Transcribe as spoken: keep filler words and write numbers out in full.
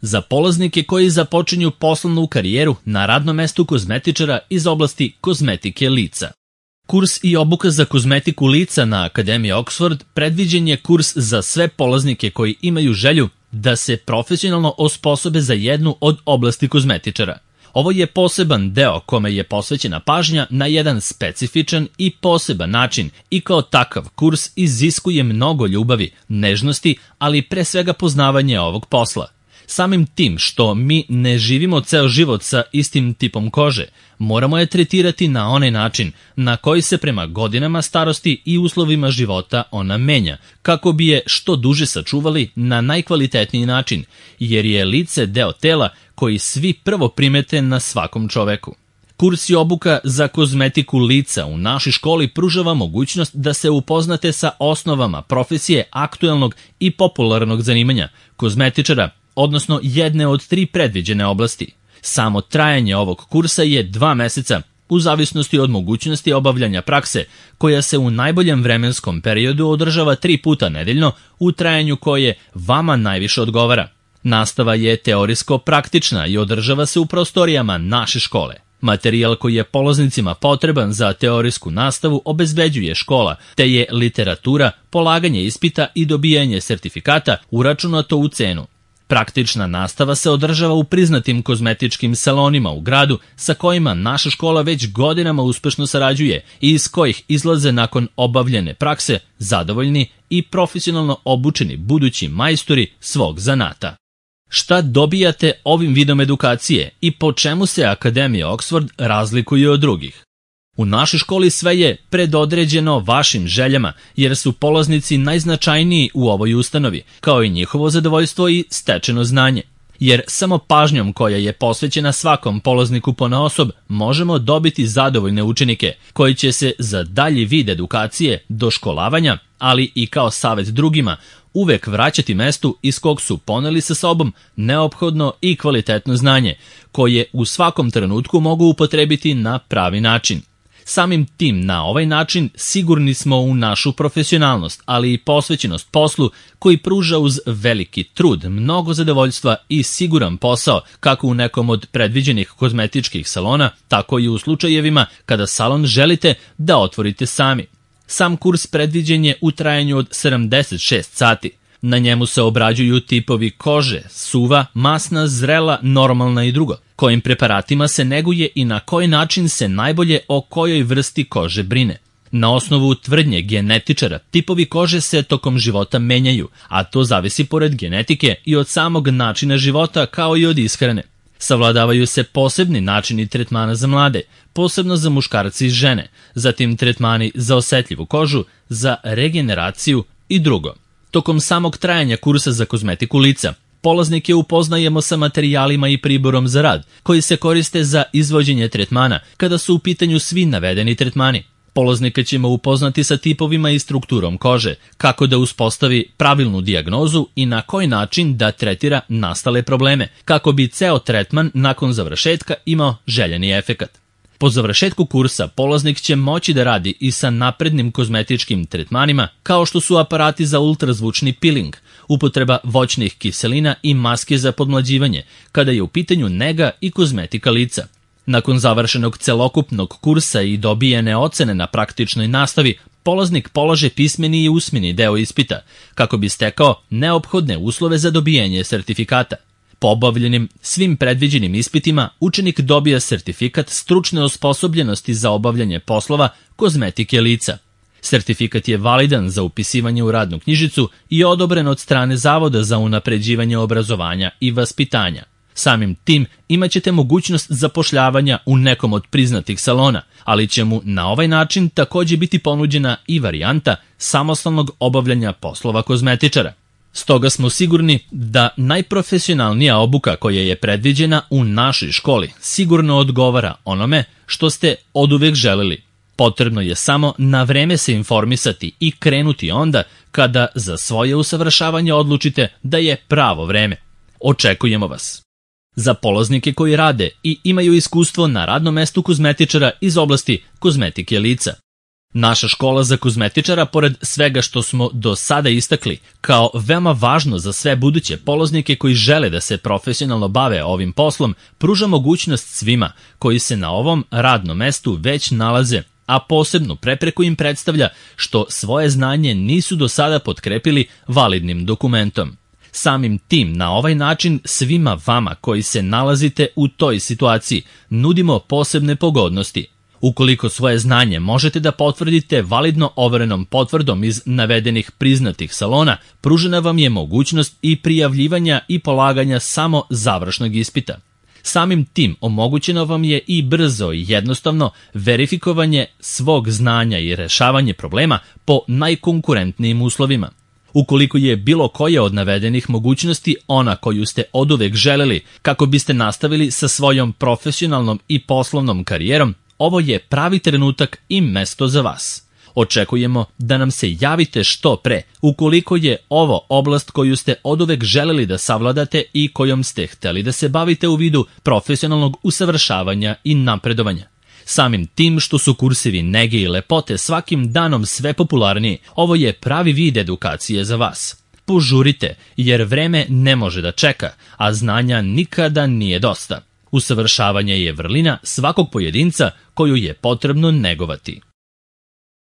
Za polaznike koji započinju poslovnu karijeru na radnom mestu kozmetičara iz oblasti kozmetike lica. Kurs i obuka za kozmetiku lica na Akademiji Oxford predviđen je kurs za sve polaznike koji imaju želju da se profesionalno osposobe za jednu od oblasti kozmetičara. Ovo je poseban deo kome je posvećena pažnja na jedan specifičan i poseban način i kao takav kurs iziskuje mnogo ljubavi, nežnosti, ali pre svega poznavanje ovog posla. Samim tim što mi ne živimo ceo život sa istim tipom kože, moramo je tretirati na onaj način na koji se prema godinama starosti i uslovima života ona menja, kako bi je što duže sačuvali na najkvalitetniji način, jer je lice deo tela koji svi prvo primete na svakom čoveku. Kurs i obuka za kozmetiku lica u našoj školi pružava mogućnost da se upoznate sa osnovama profesije aktuelnog i popularnog zanimanja, kozmetičara, odnosno jedne od tri predviđene oblasti. Samo trajanje ovog kursa je dva meseca, u zavisnosti od mogućnosti obavljanja prakse, koja se u najboljem vremenskom periodu održava tri puta nedeljno u trajanju koje vama najviše odgovara. Nastava je teorijsko-praktična i održava se u prostorijama naše škole. Materijal koji je polaznicima potreban za teorijsku nastavu obezbeđuje škola, te je literatura, polaganje ispita i dobijanje sertifikata uračunato u cenu. Praktična nastava se održava u priznatim kozmetičkim salonima u gradu sa kojima naša škola već godinama uspešno sarađuje i iz kojih izlaze nakon obavljene prakse zadovoljni i profesionalno obučeni budući majstori svog zanata. Šta dobijate ovim vidom edukacije i po čemu se Akademija Oxford razlikuje od drugih? U našoj školi sve je predodređeno vašim željama, jer su polaznici najznačajniji u ovoj ustanovi, kao i njihovo zadovoljstvo i stečeno znanje. Jer samo pažnjom koja je posvećena svakom polazniku ponaosob možemo dobiti zadovoljne učenike, koji će se za dalji vid edukacije, doškolavanja, ali i kao savet drugima, uvek vraćati mestu iz kog su poneli sa sobom neophodno i kvalitetno znanje, koje u svakom trenutku mogu upotrebiti na pravi način. Samim tim, na ovaj način sigurni smo u našu profesionalnost, ali i posvećenost poslu koji pruža uz veliki trud, mnogo zadovoljstva i siguran posao kako u nekom od predviđenih kozmetičkih salona, tako i u slučajevima kada salon želite da otvorite sami. Sam kurs predviđen je u trajanju od sedamdeset šest sati. Na njemu se obrađuju tipovi kože, suva, masna, zrela, normalna i drugo. Kojim preparatima se neguje i na koji način se najbolje o kojoj vrsti kože brine. Na osnovu tvrdnje genetičara, tipovi kože se tokom života menjaju, a to zavisi pored genetike i od samog načina života kao i od ishrane. Savladavaju se posebni načini tretmana za mlade, posebno za muškarce i žene, zatim tretmani za osetljivu kožu, za regeneraciju i drugo. Tokom samog trajanja kursa za kozmetiku lica, polaznike upoznajemo sa materijalima i priborom za rad, koji se koriste za izvođenje tretmana kada su u pitanju svi navedeni tretmani. Polaznika ćemo upoznati sa tipovima i strukturom kože, kako da uspostavi pravilnu dijagnozu i na koji način da tretira nastale probleme, kako bi ceo tretman nakon završetka imao željeni efekat. Po završetku kursa polaznik će moći da radi i sa naprednim kozmetičkim tretmanima, kao što su aparati za ultrazvučni peeling, upotreba voćnih kiselina i maske za podmlađivanje, kada je u pitanju nega i kozmetika lica. Nakon završenog celokupnog kursa i dobijene ocene na praktičnoj nastavi, polaznik polaže pismeni i usmeni deo ispita, kako bi stekao neophodne uslove za dobijanje sertifikata. Po obavljenim svim predviđenim ispitima, učenik dobija sertifikat stručne osposobljenosti za obavljanje poslova kozmetike lica. Sertifikat je validan za upisivanje u radnu knjižicu i odobren od strane Zavoda za unapređivanje obrazovanja i vaspitanja. Samim tim imat ćete mogućnost zapošljavanja u nekom od priznatih salona, ali će mu na ovaj način također biti ponuđena i varijanta samostalnog obavljanja poslova kozmetičara. Stoga smo sigurni da najprofesionalnija obuka koja je predviđena u našoj školi sigurno odgovara onome što ste oduvek želeli. Potrebno je samo na vreme se informisati i krenuti onda kada za svoje usavršavanje odlučite da je pravo vreme. Očekujemo vas. Za polaznike koji rade i imaju iskustvo na radnom mestu kozmetičara iz oblasti kozmetike lica, Naša škola za kozmetičara, pored svega što smo do sada istakli, kao veoma važno za sve buduće polaznike koji žele da se profesionalno bave ovim poslom, pruža mogućnost svima koji se na ovom radnom mestu već nalaze, a posebnu prepreku im predstavlja što svoje znanje nisu do sada potkrepili validnim dokumentom. Samim tim, na ovaj način svima vama koji se nalazite u toj situaciji nudimo posebne pogodnosti. Ukoliko svoje znanje možete da potvrdite validno overenom potvrdom iz navedenih priznatih salona, pružena vam je mogućnost i prijavljivanja i polaganja samo završnog ispita. Samim tim omogućeno vam je i brzo i jednostavno verifikovanje svog znanja i rešavanje problema po najkonkurentnijim uslovima. Ukoliko je bilo koja od navedenih mogućnosti ona koju ste oduvek želeli kako biste nastavili sa svojom profesionalnom i poslovnom karijerom, ovo je pravi trenutak i mesto za vas. Očekujemo da nam se javite što pre ukoliko je ovo oblast koju ste oduvek želeli da savladate i kojom ste hteli da se bavite u vidu profesionalnog usavršavanja i napredovanja. Samim tim što su kursevi nege i lepote svakim danom sve popularniji, ovo je pravi vid edukacije za vas. Požurite, jer vreme ne može da čeka, a znanja nikada nije dosta. Usavršavanje je vrlina svakog pojedinca koju je potrebno negovati.